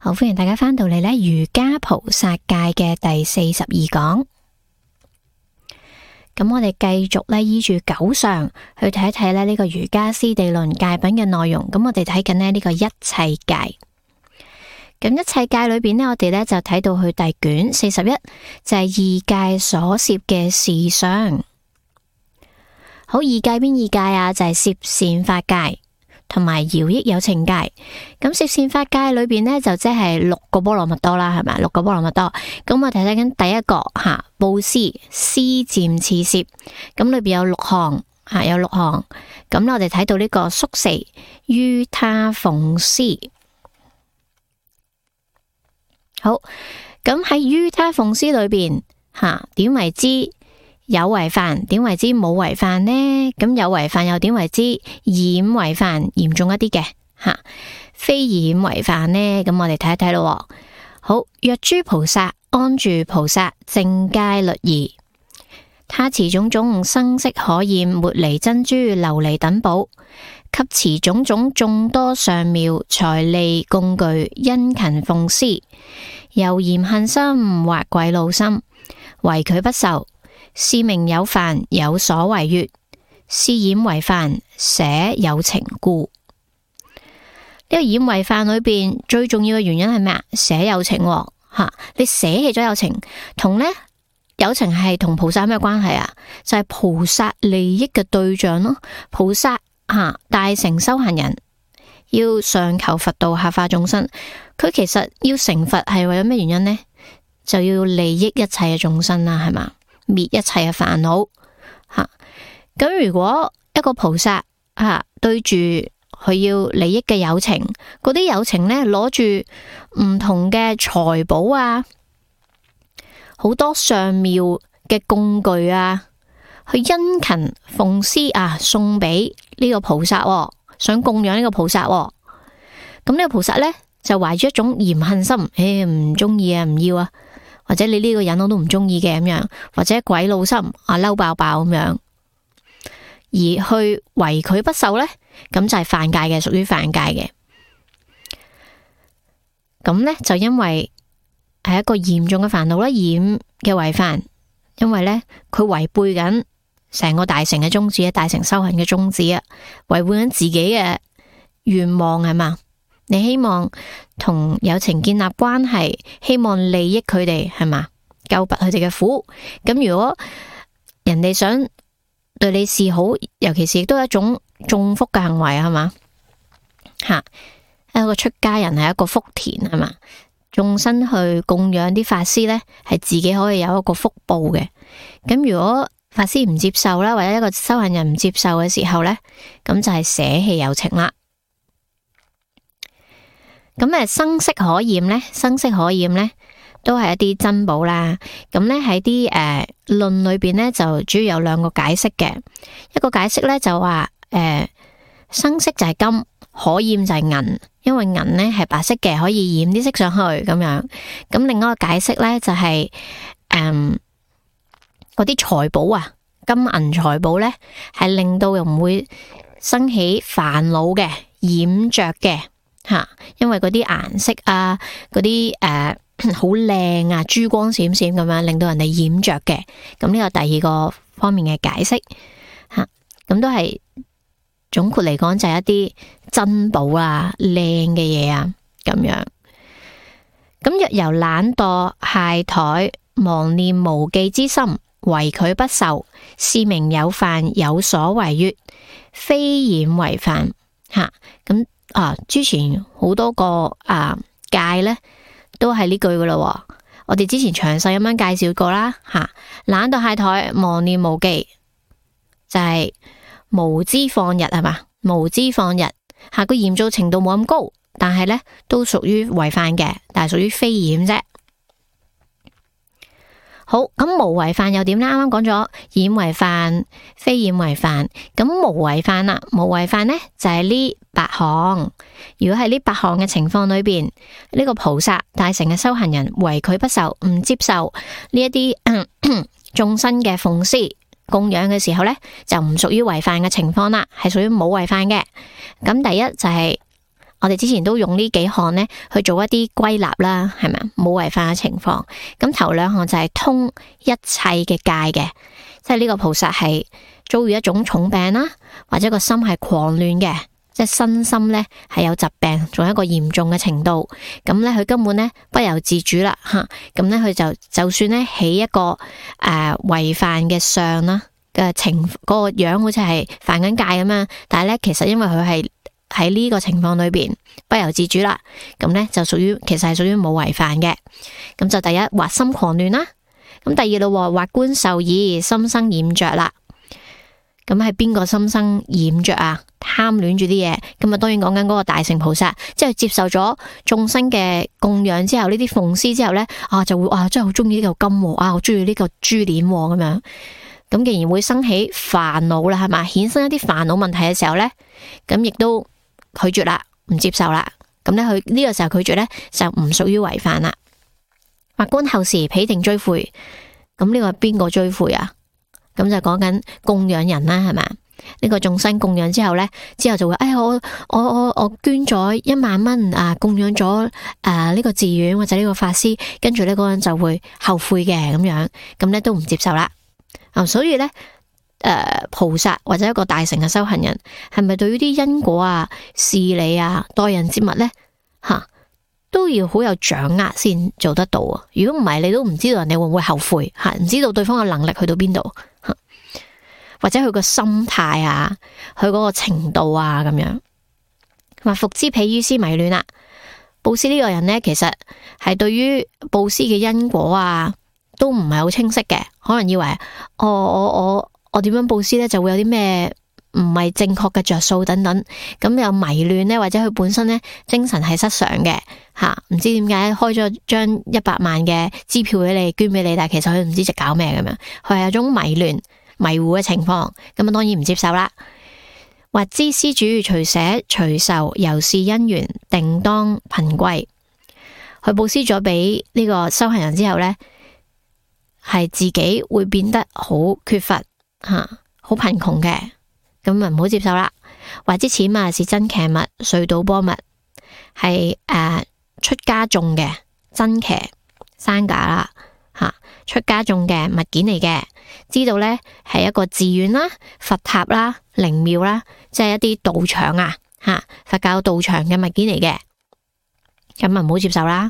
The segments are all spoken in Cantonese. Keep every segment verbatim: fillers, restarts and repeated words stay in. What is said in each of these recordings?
好，歡迎大家翻到嚟呢瑜伽菩薩戒嘅第四十二講。咁我哋繼續呢依住九相去睇一睇呢呢個瑜伽師地論戒品嘅內容。咁我哋睇緊呢呢個一切戒。咁一切戒裏邊呢，我哋呢就睇到去第卷四十一，就係二戒所攝嘅事相。好，二戒邊二戒啊？就係攝善法戒同埋饒益有情戒。咁攝善法戒裏邊呢，就即係六個波羅蜜多啦，係咪？六個波羅蜜多。咁我哋睇緊第一個吓，布施施漸次攝。咁裏邊有六項吓，有六項。咁我哋睇到呢個宿四於他奉施。好，咁喺於他奉施裏邊吓，點為之有違犯？點為之冇違犯呢？咁有違犯又點為之染違犯？嚴重一啲嘅吓，非染違犯呢？咁我哋睇一睇咯。好，若諸菩薩安住菩薩正階律儀，他持種種生色可厭茉莉珍珠琉璃等寶，及持種種眾多上妙財利供具，殷勤奉施，又嫌恨心或詭怒心，唯拒不受。是名有犯，有所違越，是染違犯，捨有情故。呢個染違犯裏邊最重要嘅原因係咩啊？捨有情吓，你捨棄咗有情，同呢有情係同菩薩有咩關係啊？就係菩薩利益嘅對象咯。菩薩吓大乘修行人要上求佛道，下化眾生，佢其實要成佛係為咗咩原因呢？就要利益一切嘅眾生啦，係嘛？滅一切嘅煩惱吓，咁、啊、如果一個菩薩吓、啊、對住佢要利益嘅有情，嗰啲有情呢攞住唔同嘅財寶啊，好多上妙嘅供具啊，去殷勤奉施啊，送俾呢個菩薩、哦，想供養呢個菩薩、哦，咁呢個菩薩呢，就懷住一種嫌恨心，誒唔中意啊，唔要啊。或者你呢個人我都唔中意嘅咁樣，或者詭怒心啊，嬲爆爆咁樣，而去違拒不受呢，咁就係犯戒嘅，屬於犯戒嘅。咁呢，就因為係一個嚴重嘅煩惱啦，染嘅違犯，因為呢，佢違背緊成個大乘嘅宗旨啊，大乘修行嘅宗旨啊，違背緊自己嘅願望係嘛？你希望同有情建立關係，希望利益佢哋係嘛？救拔佢哋嘅苦。咁如果人哋想對你示好，尤其是亦都係一種種福嘅行為係嘛？吓，一個出家人係一個福田係嘛？眾生去供養啲法師呢，係自己可以有一個福報嘅。咁如果法師唔接受啦，或者一個修行人唔接受嘅時候呢，咁就係捨棄有情啦。咁誒，生色可厭呢？生色可厭呢，都係一啲珍寶啦。咁呢喺啲誒論裏邊呢，就主要有兩個解釋嘅。一個解釋呢，就話誒、呃，生色就係金，可厭就係銀，因為銀呢係白色嘅，可以染啲色上去咁樣。咁另外一個解釋呢，就係誒嗰啲財寶啊，金銀財寶呢，係令到又唔會生起煩惱嘅，染着嘅。吓，因為嗰啲顏色啊，嗰啲誒好靚啊，珠光閃閃咁樣，令到人哋染着嘅。咁呢個第二個方面嘅解釋吓，咁都係總括嚟講就係一啲珍寶啊、靚嘅嘢啊咁樣。咁若由懶惰、懈怠、忘念無記之心，違拒不受，是名有犯，有所違越，非染違犯吓。咁啊！之前好多個啊戒呢都係呢句噶啦，我哋之前詳細咁樣介紹過啦吓。懶惰懈怠、忘念無記，就係、是、無知放逸係嘛？無知放逸吓，個嚴重程度冇咁高，但係呢都屬於違犯嘅，但係屬於非染啫。好，咁無違犯又點呢？啱啱講咗染違犯、非染違犯，咁無違犯啦，無違犯呢就係呢八項。如果係呢八項嘅情況裏邊，呢個菩薩大乘嘅修行人違拒不受，唔接受呢一啲眾生嘅奉施供養嘅時候呢，就唔屬於違犯嘅情況啦，係屬於冇違犯嘅。咁第一就係我哋之前都用呢幾項呢去做一啲歸納啦，係咪啊？冇違犯嘅情況。咁頭兩項就係通一切嘅戒嘅，即係呢個菩薩係遭遇一種重病啦，或者個心係狂亂嘅，即係身心呢係有疾病，仲有一個嚴重嘅程度。咁呢，佢根本呢不由自主啦，吓咁呢，佢就就算呢起一個誒違犯嘅相啦嘅情，嗰、嗰個樣好似係犯緊戒咁樣，但係呢，其實因為佢係喺呢個情況裏邊不由自主啦，咁呢就屬於其實係屬於冇違犯嘅。咁就第一，或心狂亂啦。咁第二咯，或觀受意，心生染着啦。咁係邊個心生染着啊？貪戀住啲嘢，咁啊當然講緊嗰個大乘菩薩，即係接受咗眾生嘅供養之後，呢啲奉施之後呢，啊就會啊真係好中意呢嚿金，啊好中意呢個珠鏈咁樣。咁既然會生起煩惱啦，係嘛，衍生一啲煩惱問題嘅時候呢，咁亦都拒絕啦，唔接受啦。咁呢，佢呢個時候拒絕呢，就唔屬於違犯啦。或觀後時彼定追悔，咁呢個係邊個追悔啊？咁就講緊供養人啦，係嘛？呢個眾生供養之後呢，之後就會，哎，我我我我捐咗一萬蚊啊，供養咗誒呢個寺院或者呢個法師，跟住呢嗰個人就會後悔嘅咁樣，咁呢都唔接受啦。啊，所以呢，誒、呃、菩薩或者一個大乘嘅修行人，係咪對於啲因果啊、事理啊、待人接物呢，吓、啊、都要好有掌握先做得到啊？如果唔係，你都唔知道人哋會唔會後悔吓，唔、啊、知道對方嘅能力去到邊度。或者佢個心態啊，佢嗰個程度啊，咁樣話復之彼於施迷亂啦。布施呢個人呢，其實係對於布施嘅因果啊，都唔係好清晰嘅，可能以為我我我我點樣布施呢，就會有啲咩唔係正確嘅着數等等，咁有迷亂呢，或者佢本身呢精神係失常嘅吓，唔知點解開咗張一百萬嘅支票俾你捐俾你，但係其實佢唔知直搞咩咁樣，佢係有種迷亂迷糊嘅情況，咁啊當然唔接受啦。或知施主隨捨隨受，由是因緣定當貧貴。佢布施咗俾呢個修行人之後呢，係自己會變得好缺乏吓，好貧窮嘅，咁啊唔好接受啦。或知此物是真騎物，遂倒波物，係誒、呃、出家種嘅真騎山架啦吓，出家種嘅物件嚟嘅。知道呢係一個寺院啦、佛塔啦、靈廟啦，即係一啲道場啊，吓佛教道場嘅物件嚟嘅，咁啊唔好接受啦。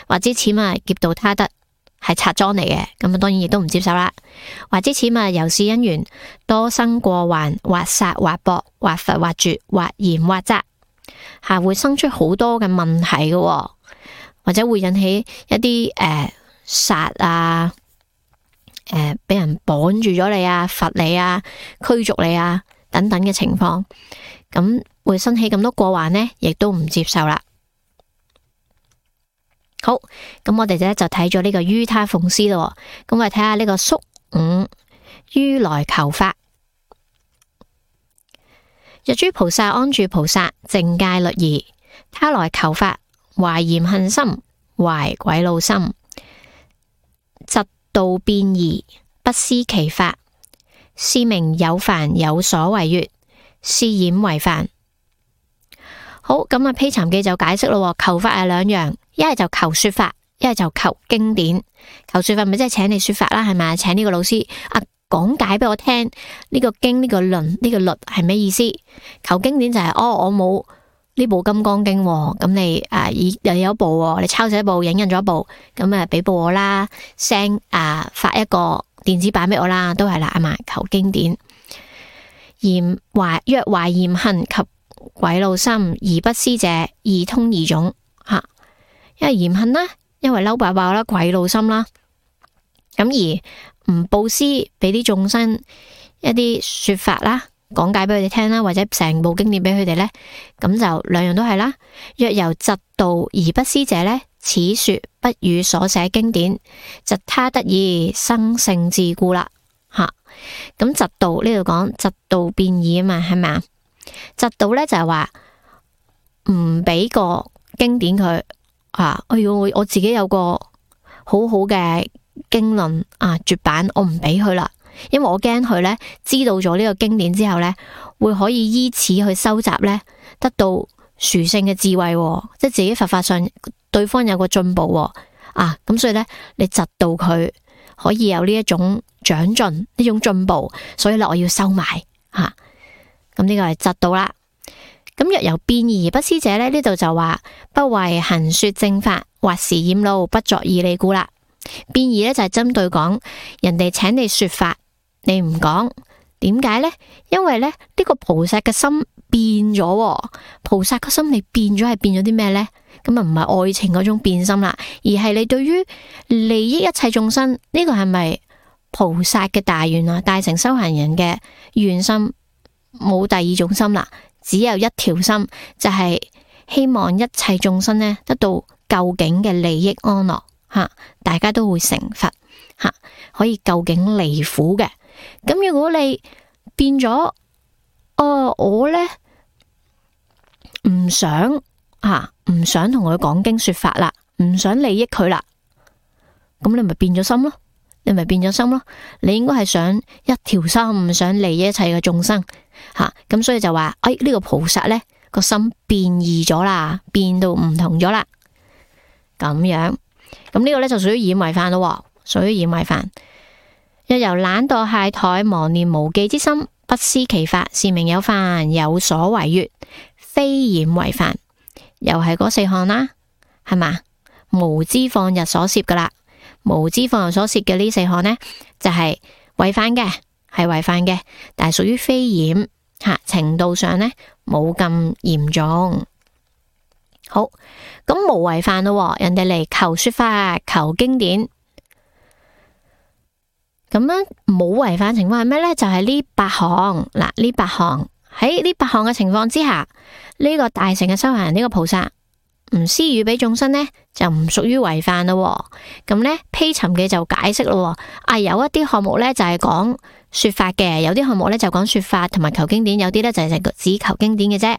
或知此物劫盜他得，係賊贓嚟嘅，咁啊當然亦都唔接受啦。或知此物由是因緣多生過患，或殺或搏，或伐或絕，或嚴或責，係會生出好多嘅問題嘅，或者會引起一啲誒殺啊。誒，俾、呃、人綁住咗你啊，罰你啊，驅逐你啊，等等嘅情況，咁會生起咁多過患呢，亦都唔接受啦。好，咁我哋咧就睇咗呢個於他奉施咯，咁我哋睇下呢個宿五於來求法。若諸菩薩安住菩薩淨戒律儀，他來求法，懷嫌恨心，懷詭怒心，嫉道變異，不思其法，是名有犯有所違越，是染違犯。好，咁啊，披禪記就解釋咯，求法係兩樣，一係就求說法，一係就求經典。求說法咪即係請你說法啦，係咪？請呢個老師啊講解俾我聽呢個經呢個論呢個律係咩意思？求經典就係哦，我冇呢部金剛經，咁你啊以又有一部，你抄寫一部，影印咗一部，咁啊俾部我啦，send啊發一個電子版俾我啦，都係啦，係嘛？求經典。嫌懷若懷嫌恨及詭怒心而不施者，二通二種吓，因為嫌恨啦，因為嬲爆爆啦，詭怒心啦，咁而唔布施俾啲眾生一啲說法啦。講解俾佢哋聽啦，或者成部經典俾佢哋呢，咁就兩樣都係啦。若由嫉妒而不施者呢，此說不與所寫經典，嫉他得意，生性自故啦。吓、啊，咁嫉妒呢度講嫉妒變異啊嘛，係咪啊？嫉妒呢就係話唔俾個經典佢啊，哎喲，我我自己有個好好嘅經論啊絕版，我唔俾佢啦。因為我驚佢呢，知道咗呢個經典之後呢，會可以依此去收集呢，得到殊勝嘅智慧，即係自己佛法上對方有個進步啊，咁所以呢，你窒到佢可以有呢一種長進，呢種進步，所以咧我要收埋吓，咁呢個係窒到啦。咁若由辯義而不思者呢，呢度就話不為行說正法，或時厭怒，不作義利故啦。辯義呢，就係針對講人哋請你說法，你唔講，點解呢？因為咧呢、呢個菩薩嘅心變咗，菩薩嘅心你變咗係變咗啲咩呢？咁啊唔係愛情嗰種變心啦，而係你對於利益一切眾生呢、呢個係咪菩薩嘅大願啊？大乘修行人嘅願心，冇第二種心啦，只有一條心，就係、是、希望一切眾生呢得到究竟嘅利益安樂吓，大家都會成佛吓，可以究竟離苦嘅。咁如果你變咗，哦，我呢唔想吓，唔想同佢講經說法啦，唔想利益佢啦，咁你咪變咗心咯，你咪變咗心咯。你應該係想一條心，想利益一切嘅眾生吓，咁所以就話，哎，呢個菩薩呢個心變異咗啦，變到唔同咗啦，咁樣，咁呢個呢就屬於染違犯咯，屬於染違犯。若由懶惰懈怠，忘念無記之心，不思其法，是名有犯，有所違越，非染違犯。又係嗰四項啦，係嘛？無知放逸所攝噶啦，無知放逸所攝嘅呢四項呢，就係違犯嘅，係違犯嘅，但係屬於非染吓，程度上呢冇咁嚴重。好，咁無違犯咯，人哋嚟求說法，求經典。咁樣冇違反情況係咩呢？就係、是、呢八項嗱，呢八項喺呢八項嘅情況之下，呢、這個大乘嘅修行人呢、這個菩薩唔施予俾眾生呢，就唔屬於違犯咯。咁呢，披尋嘅就解釋咯。啊，有一啲項目呢，就係講說法嘅，有啲項目呢，就講說法同埋求經典，有啲呢，就係只求經典嘅啫。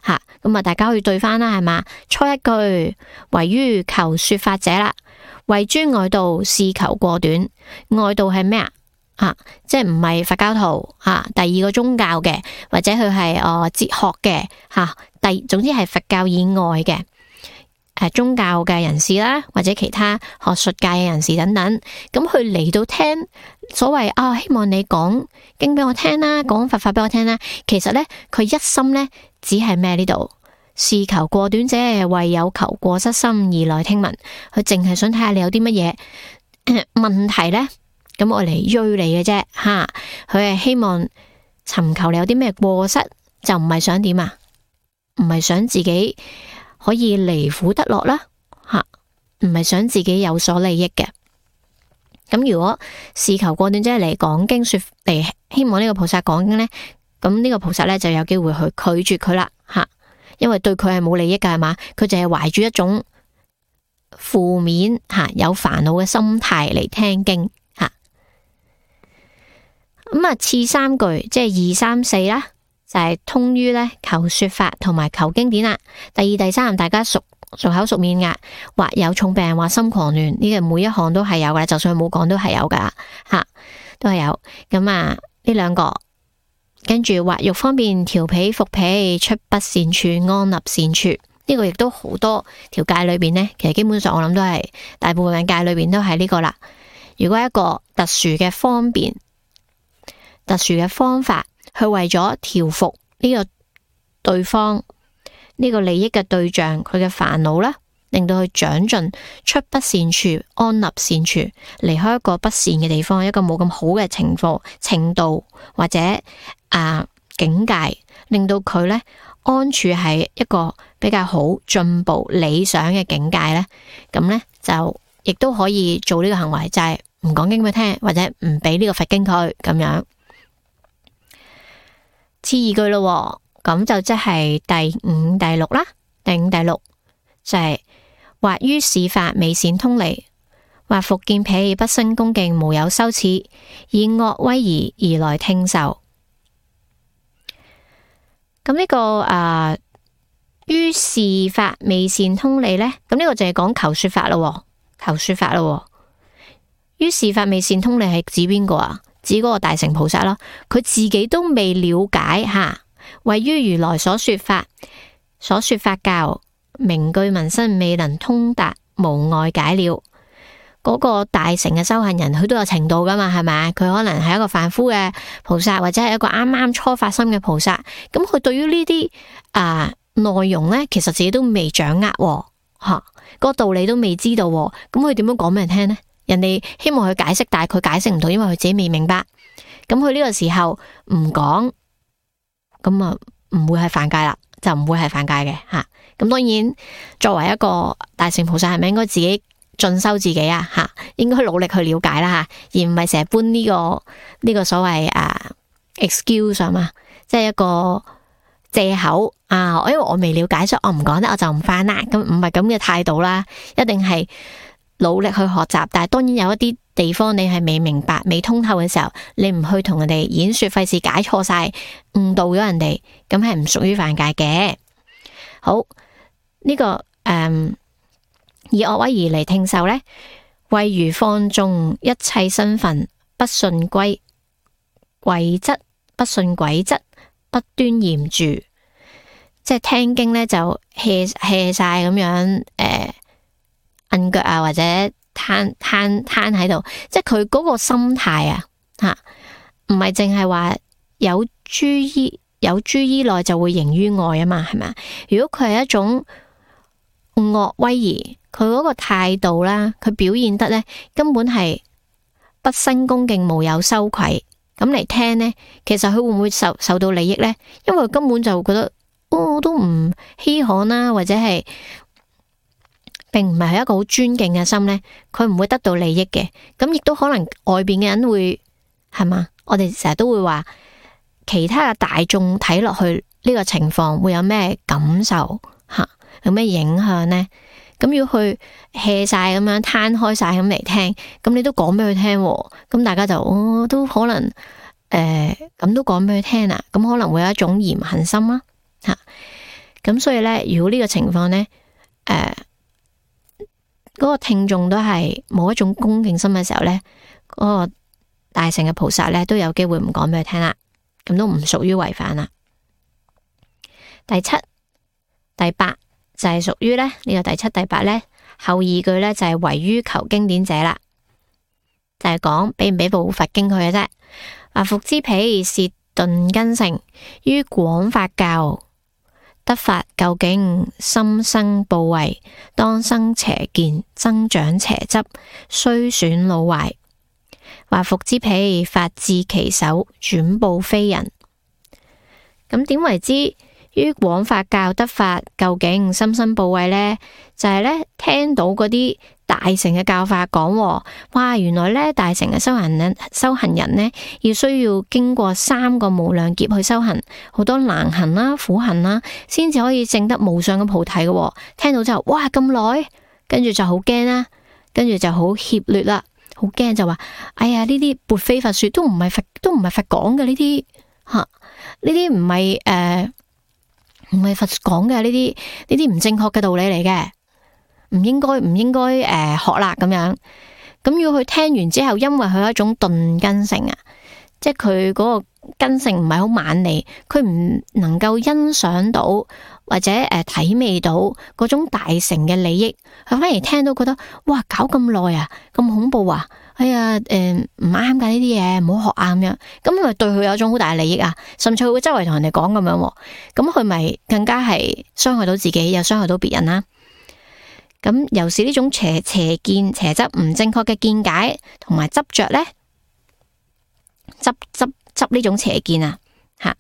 吓，咁啊，大家可以對翻啦，係嘛？初一句唯於求說法者啦。為諸外道是求過短，外道係咩啊？啊，即係唔係佛教徒啊？第二個宗教嘅，或者佢係誒哲學嘅吓，第、啊、總之係佛教以外嘅誒、啊、宗教嘅人士啦，或者其他學術界嘅人士等等，咁佢嚟到聽所謂啊，希望你講經俾我聽啦，講佛法俾我聽啦。其實呢，佢一心呢，只係咩呢度？是求過短者，為有求過失心而來聽聞。佢淨係想睇下你有啲乜嘢問題呢？咁我嚟追你嘅啫吓。佢係希望尋求你有啲咩過失，就唔係想點啊？唔係想自己可以離苦得樂啦吓，唔係想自己有所利益嘅。咁如果是求過短者嚟講經說嚟，希望呢個菩薩講經呢，咁呢個菩薩呢就有機會去拒絕佢啦吓。因為對佢係冇利益噶，係嘛？佢就係懷住一種負面吓、有煩惱嘅心態嚟聽經吓。咁啊，次三句即係二三四啦，就係、是、通於咧求說法同埋求經典啦。第二、第三，大家熟熟口熟面噶，或有重病，或心狂亂，呢個每一項都係有噶，就算佢冇講都係有噶吓，都係有。咁啊，呢兩個。跟住或欲方便調彼伏彼，出不善處，安立善處。呢、這個亦都好多條戒裏邊呢，其實基本上我諗都係大部分戒裏邊都係呢個啦。如果一個特殊嘅方便、特殊嘅方法，去為咗調伏呢個對方呢、這個利益嘅對象，佢嘅煩惱啦，令到佢長進，出不善處，安立善處，離開一個不善嘅地方，一個冇咁好嘅情況程度或者。啊，境界令到佢咧安處喺一個比較好進步理想嘅境界咧，咁咧就亦都可以做呢個行為，就係唔講經俾佢聽，或者唔俾呢個佛經佢咁樣。次二句咯，咁就即係第五、第六啦。第五、第六就係、是、或於是法未善通利，或復見彼不生恭敬，無有羞恥，以惡威儀而來聽受。咁呢、這個誒，於、呃、是法未善通利呢？咁呢個就係講求說法咯，求說法咯。於是法未善通利係指邊個啊？指嗰個大乘菩薩咯。佢自己都未了解吓，位於如來所說法，所說法教，名句民生，未能通達，無礙解了。嗰、那個大乘嘅修行人，佢都有程度噶嘛，係咪？佢可能係一個凡夫嘅菩薩，或者係一個啱啱初發心嘅菩薩。咁佢對於呢啲啊內容呢，其實自己都未掌握，吓、啊，嗰個道理都未知道。咁佢點樣講俾人聽呢？人哋希望佢解釋，但係佢解釋唔到，因為佢自己未明白。咁佢呢個時候唔講，咁啊唔會係犯戒啦，就唔會係犯戒嘅吓。咁、啊、當然，作為一個大乘菩薩，係咪應該自己進修自己啊？吓，應該努力去了解啦吓，而唔係成日搬呢、這個呢、這個所謂啊 excuse 啊嘛，即係一個借口啊。因為我未了解，所以我唔講得，我就唔翻啦。咁唔係咁嘅態度啦，一定係努力去學習。但係當然有一啲地方你係未明白、未通透嘅時候，你唔去同人哋演說，費事解錯晒、誤導咗人哋，咁係唔屬於犯戒嘅。好，呢、這個誒。嗯以惡威儀嚟聽受呢，謂如放縱一切身份，不信歸軌則，不信軌則，不端嚴住。即係聽經呢，就 hea hea 晒咁樣，誒，摁腳啊，或者攤攤攤喺度。即係佢嗰個心態啊，吓，唔係淨係話有諸依有諸依內就會形於外啊嘛，係咪？如果佢係一種惡威儀，佢嗰個態度啦，佢表現得呢，根本係不生恭敬，無有羞愧，咁嚟聽呢，其實佢會唔會受受到利益呢？因為佢根本就覺得，哦，都唔稀罕啦，或者係並唔係一個好尊敬嘅心呢，佢唔會得到利益嘅。咁亦都可能外邊嘅人會係嘛？我哋成日都會話，其他嘅大眾睇落去呢個情況會有咩感受吓？有咩影響呢？咁要去 hea 晒咁樣攤開晒咁嚟聽，咁你都講俾佢聽，咁大家就哦都可能誒咁、呃、都講俾佢聽啊，咁可能會有一種嫌恨心啦吓。咁所以咧，如果呢個情況咧，誒、呃、嗰、那個聽眾都係冇一種恭敬心嘅時候咧，嗰、那個大乘嘅菩薩咧都有機會唔講俾佢聽啦，咁都唔屬於違反啦。第七、第八。就係屬於咧呢個第七、第八咧後二句咧就係唯於求經典者啦，就係講俾唔俾部佛經佢嘅啫。話復之彼是頓根性，於廣法教得法究竟，心生怖畏，當生邪見，增長邪執，雖損惱壞。話復之彼法至其手，轉報非人。咁點為之？於廣法教得法究竟，心生怖畏呢？就係、是、咧聽到嗰啲大乘嘅教法講，哇，原來咧大乘嘅修行人修行人呢，要需要經過三個無量劫去修行，好多難行啦、苦行啦，先至可以證得無上嘅菩提嘅。聽到之後，哇，咁耐，跟住就好驚啦，跟住就好怯劣啦，好驚就話，哎呀，呢啲撥非佛說，都唔係佛，都唔係佛講嘅呢啲吓，呢啲唔係誒。唔係佛講嘅呢啲呢啲唔正確嘅道理嚟嘅，唔應該唔應該誒、呃、學啦咁樣。咁要佢聽完之後，因為佢有一種頓根性啊，即係佢嗰個根性唔係好猛利，佢唔能夠欣賞到或者誒、呃、體味到嗰種大乘嘅利益，佢反而聽到覺得哇，搞咁耐啊，咁恐怖啊！哎呀，誒唔啱噶呢啲嘢，唔好學啊咁樣，咁咪對佢有一種好大嘅利益啊，甚至佢會周圍同人哋講咁樣，咁佢咪更加係傷害到自己，又傷害到別人啦。咁又是呢種邪邪見、邪執唔正確嘅見解同埋執着咧，執執執呢種邪見啊，吓，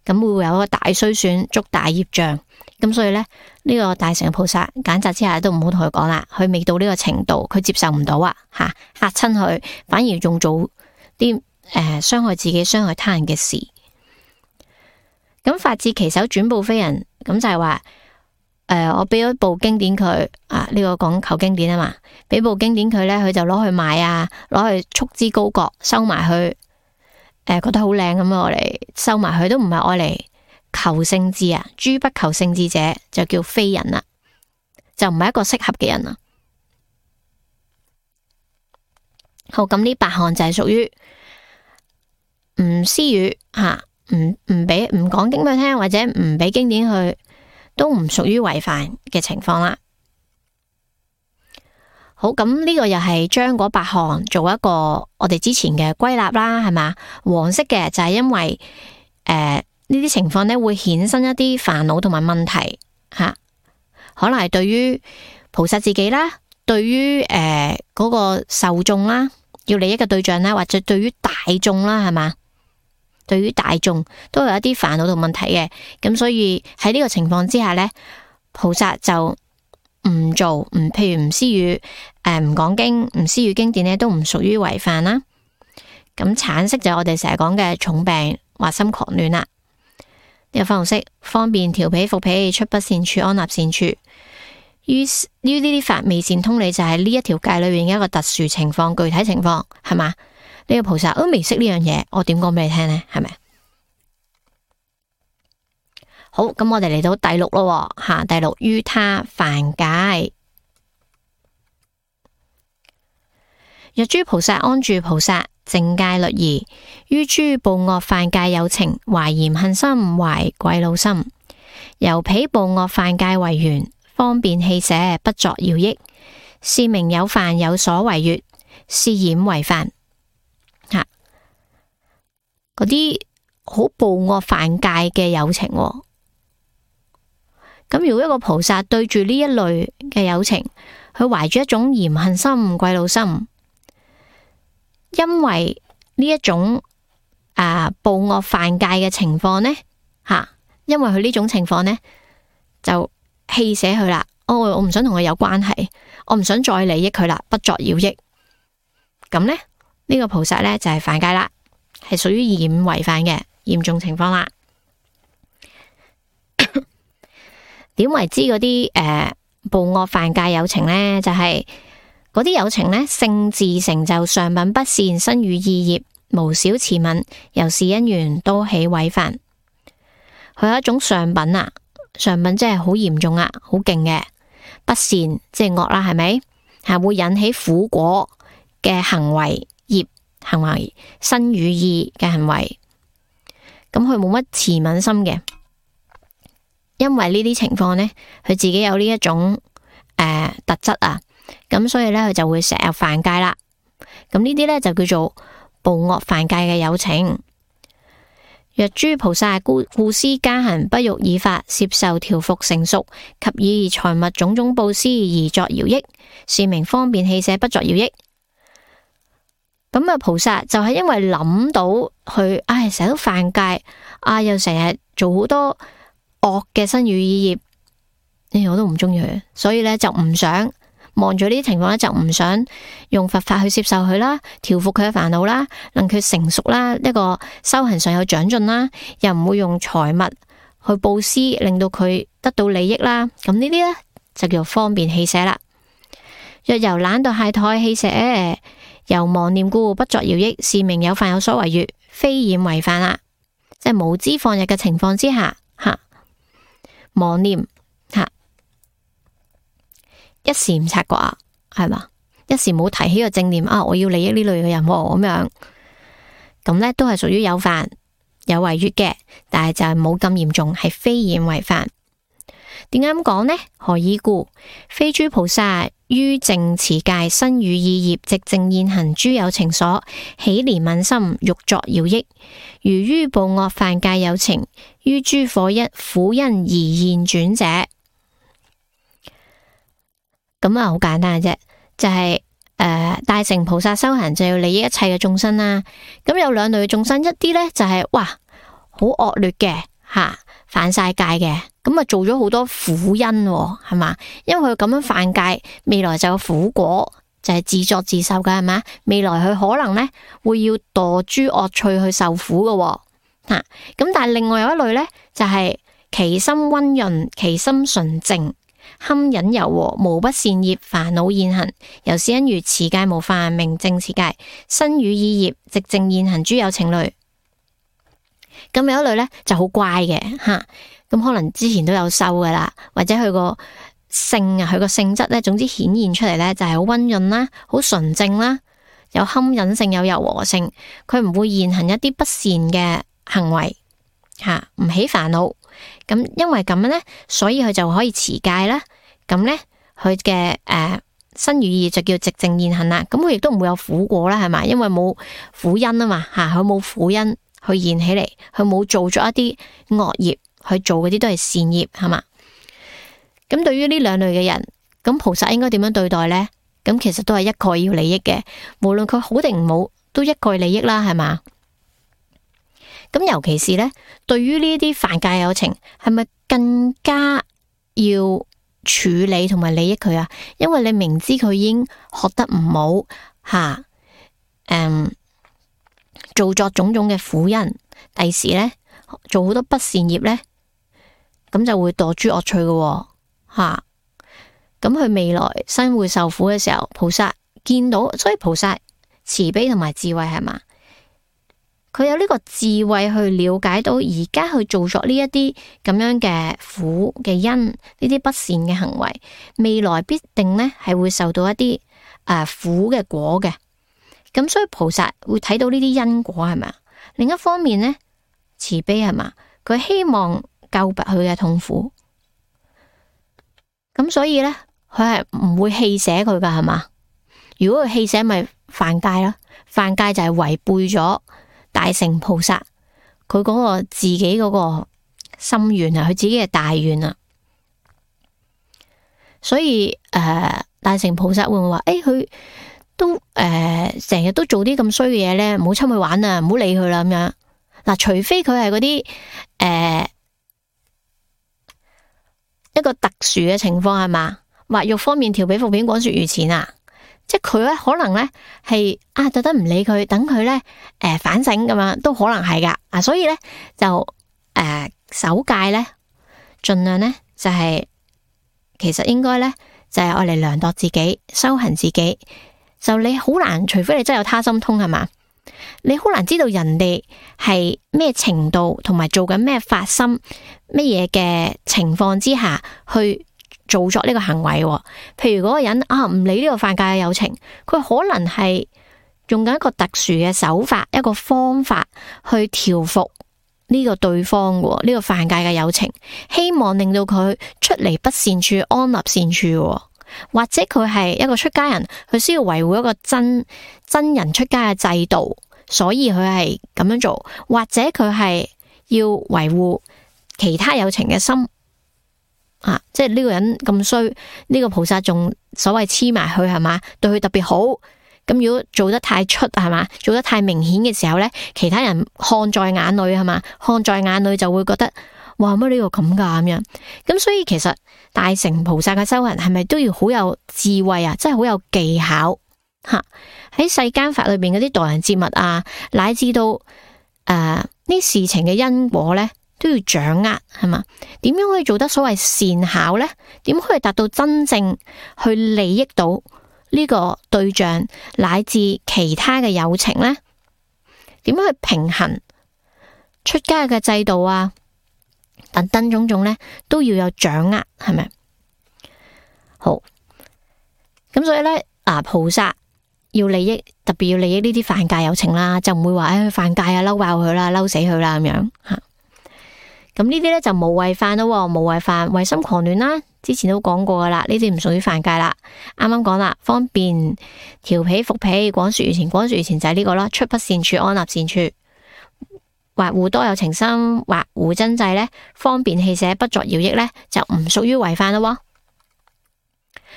咁會會有一個大衰損，觸大業障。咁所以咧，呢、這個大乘菩薩揀擇之下都唔好同佢講啦，佢未到呢個程度，佢接受唔到啊，吓嚇親佢，反而仲做啲誒傷害自己、傷害他人嘅事。咁法至其手，轉報非人，咁就係話誒，我俾咗部經典佢啊，呢、這個講求經典啊嘛，俾部經典佢咧，佢就攞去賣啊，攞去束之高閣，收埋去，誒、呃、覺得好靚咁樣，我嚟收埋佢，都唔係愛嚟求聖智啊，諸不求聖智者就叫非人啦，就唔係一個適合嘅人啦。好，咁呢八項就係屬於唔施語吓，唔唔俾唔講經俾佢聽，或者唔俾經典去都唔屬於違犯嘅情況啦。好，咁呢個又係將嗰八項做一個我哋之前嘅歸納啦，係嘛？黃色嘅就係因為誒呢啲情況咧會衍生一啲煩惱同埋問題吓、啊，可能係對於菩薩自己啦，對於誒嗰個受眾啦，要利益嘅對象啦，或者對於大眾啦，係嘛？對於大眾都有一啲煩惱同問題嘅，咁所以喺呢個情況之下咧，菩薩就唔做，唔譬如唔施語，誒唔講經，唔施語經典咧，都唔屬於違犯啦。咁橙色就係我哋成日講嘅重病或心狂亂啦。呢個粉紅色方便調脾伏脾，出不善處，安立善處。於於呢啲法未善通理就係呢一條界裏面嘅一個特殊情況，具體情況係嘛？呢個菩薩都未識呢樣嘢，我點講俾你聽呢？係咪？好，咁我哋嚟到第六咯，吓，第六於他犯戒。若諸菩薩安住菩薩淨戒律儀，於諸暴惡犯戒有情，懷嫌恨心，懷愧惱心，由彼暴惡犯戒為緣，方便棄捨，不作饒益，是名有犯有所違越，是染違犯。吓，嗰啲好暴惡犯戒嘅有情。咁如果一個菩薩對住呢一類嘅有情，佢懷住一種嫌恨心、愧惱心，因為呢一種啊暴惡犯戒嘅情況呢，吓、啊，因為佢呢種情況呢，就棄捨佢啦。哦，我唔想同佢有關係，我唔想再利益佢啦，不作饒益。咁呢，呢、呢個菩薩呢，就係、是、犯戒啦，係屬於染違犯嘅嚴重情況啦。點為之嗰啲誒暴惡犯戒有情呢？就係嗰啲有情呢，性自成就上品不善，身語意業無少慈憫，由是因緣都起違犯。佢有一種上品啊，上品即係好嚴重啊，好勁嘅不善，即係惡啦，係咪？係會引起苦果嘅行為業行為，身語意嘅行為，咁佢冇乜慈憫心嘅。因為呢啲情況呢，佢自己有呢一種誒、呃、特質啊，咁所以呢，佢就會成日犯戒啦。咁呢啲呢，就叫做暴惡犯戒嘅有情。若諸菩薩故故施加行，不欲以法攝受調伏成熟，及以財物種種布施而作饒益，是名方便棄捨，不作饒益。咁啊，菩薩就係因為諗到佢，唉，成日都犯戒，啊，又成日做好多惡嘅身語意業，誒，我都唔中意佢，所以咧就唔想望住呢啲情況咧，就唔想用佛法去接受佢啦，調伏佢嘅煩惱啦，令佢成熟啦，一個修行上有長進啦，又唔會用財物去布施，令到佢得到利益啦。咁呢啲咧就叫方便棄捨啦。若由懶惰懈怠棄捨，由妄念故不作饒益，是名有犯有所違越，非染違犯啦。即係無知放逸嘅情況之下，吓。妄念吓，一時唔察覺啊，係嘛？一時冇提起個正念啊，我要利益呢類嘅人咁樣，咁呢都係屬於有犯有違越嘅，但係就係冇咁嚴重，係非染違犯。點解咁講呢？何以故？非諸菩薩於淨持戒，身語意業，寂靜現行諸有情所起憐憫心，欲作饒益。如於暴惡犯戒有情，於諸火一苦因而現轉者。咁啊，好簡單嘅啫，就係、是、誒、呃、大乘菩薩修行就要利益一切嘅眾生啦。咁有兩類嘅眾生，一啲呢就係、是、哇好惡劣嘅吓，犯晒戒嘅。咁啊，做咗好多苦因，係嘛？因為佢咁樣犯戒，未來就有苦果，就係、是、自作自受嘅，係嘛？未來佢可能呢會要墮諸惡趣去受苦嘅，吓、啊。咁但係另外有一類呢，就係、是、其心溫潤，其心純淨，堪忍柔和，無不善業，煩惱現行。由是因緣持戒無犯，名淨持戒，身語意業，寂靜現行諸有情類。咁有一類呢就好乖嘅，吓、啊。咁可能之前都有修噶啦，或者佢個性啊，佢個性質咧，總之顯現出嚟咧就係好溫潤啦，好純正啦，有堪忍性，有柔和性，佢唔會現行一啲不善嘅行為吓，唔起煩惱，咁因為咁樣咧，所以佢就可以持戒啦。咁咧，佢嘅誒身語意就叫寂靜現行啦。咁佢亦都唔會有苦果啦，係嘛？因為冇苦因啊嘛，吓佢冇苦因去現起嚟，佢冇做咗一啲惡業，去做嗰啲都係善業，係嘛？咁對於呢兩類嘅人，咁菩薩應該點樣對待呢？咁其實都係一概要利益嘅，無論佢好定唔好，都一概利益啦，係嘛？咁尤其是呢，對於呢啲犯戒有情，係咪更加要處理同埋利益佢啊？因為你明知佢已經學得唔好吓，誒，做作種種嘅苦因，第時呢，做好多不善業呢，咁就會墮諸惡趣嘅吓。咁佢未來生會受苦嘅時候，菩薩見到，所以菩薩慈悲同埋智慧，係嘛？佢有呢個智慧去了解到而家去做作呢一啲咁樣嘅苦嘅因，呢啲不善嘅行為，未來必定呢係會受到一啲誒、呃、苦嘅果嘅。咁所以菩薩會睇到呢啲因果，係咪？另一方面呢，慈悲，係嘛？佢希望救拔佢嘅痛苦。咁所以呢，佢係唔會棄捨佢噶，係嘛？如果佢棄捨，咪犯戒啦。犯戒就係違背咗大乘菩薩佢嗰個自己嗰個心願啊，佢自己嘅大願啊。所以誒、呃，大乘菩薩會唔會話誒，佢都誒成日都做啲咁衰嘅嘢咧，唔好侵佢玩啊，唔好理佢啦咁樣。嗱，除非佢係嗰啲誒。一個特殊嘅情況，係嘛？或欲方面調彼伏扁廣說如前啊，即係佢咧可能咧係啊特登唔理佢，等佢咧誒反省咁樣都可能係噶啊，所以咧就誒、呃、守戒咧盡量咧就係、是、其實應該咧就係愛嚟量度自己修行自己，就你好難，除非你真係有他心通，係嘛？你好難知道人哋係咩程度同埋做緊咩發心乜嘢嘅情況之下去做作呢個行為。譬如嗰個人啊唔理呢個犯戒嘅有情，佢可能係用緊一個特殊嘅手法，一個方法去調伏呢個對方嘅呢個犯戒嘅有情，希望令到佢出離不善處，安立善處。或者佢係一個出家人，佢需要維護一個真真人出家嘅制度，所以佢係咁樣做。或者佢係要維護其他有情嘅心啊，即係呢個人咁衰，呢個菩薩仲所謂黐埋佢，係嘛，對佢特別好。咁如果做得太出，係嘛，做得太明顯嘅時候呢，其他人看在眼裏，係嘛，看在眼裏就會覺得哇，乜呢個咁噶咁樣。咁所以其實大乘菩薩嘅修行係咪都要好有智慧啊？真係好有技巧吓。喺世間法裏邊嗰啲待人接物啊，乃至到誒呢事情嘅因果呢，都要掌握，係嘛？點樣可以做得所謂善巧呢？點可以達到真正去利益到呢個對象乃至其他嘅有情呢？點樣去平衡出家嘅制度啊？等等種種咧，都要有掌握，係咪？好，咁所以咧，啊菩薩要利益，特別要利益呢啲犯戒有情啦，就唔會話誒犯戒啊，嬲爆佢啦，嬲死佢啦咁樣吓。咁呢啲咧就無為犯咯，無為犯為心狂亂啦，之前都講過噶啦，呢啲唔屬於犯戒啦。啱啱講啦，方便調彼伏彼，廣說如前，廣說如前就係呢個啦，出不善處，安立善處。或護多有情心，或護真制咧，方便棄捨，不作饒益咧，就唔屬於違犯咯。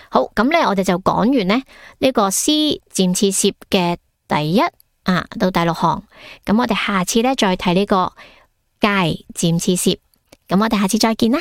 好，咁咧我哋就講完咧呢個施漸次攝嘅第一啊到第六行，咁我哋下次咧再睇呢個戒漸次攝，咁我哋下次再見啦。